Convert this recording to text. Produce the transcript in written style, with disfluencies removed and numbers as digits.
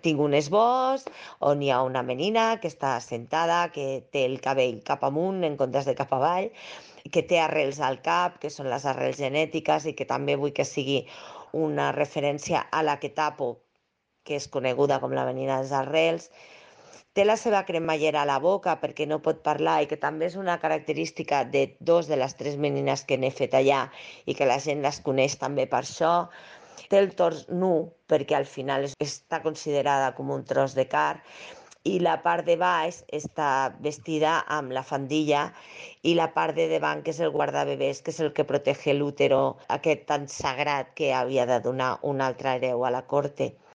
Tinc un esbós on hi ha una menina que està assentada, que té el cabell cap amunt en comptes de cap avall, que té arrels al cap, que són les arrels genètiques, i que també vull que sigui una referència a la que tapo, que és coneguda com la menina dels arrels. Té la seva cremallera a la boca perquè no pot parlar i que també és una característica de dos de les tres menines que n'he fet allà i que la gent les coneix també per això. Té el tors nu perquè al final està considerada com un tros de carn i la part de baix està vestida amb la faldilla i la part de davant, que és el guardabebès, que és el que protege l'útero, aquest tan sagrat que havia de donar un altre hereu a la corte.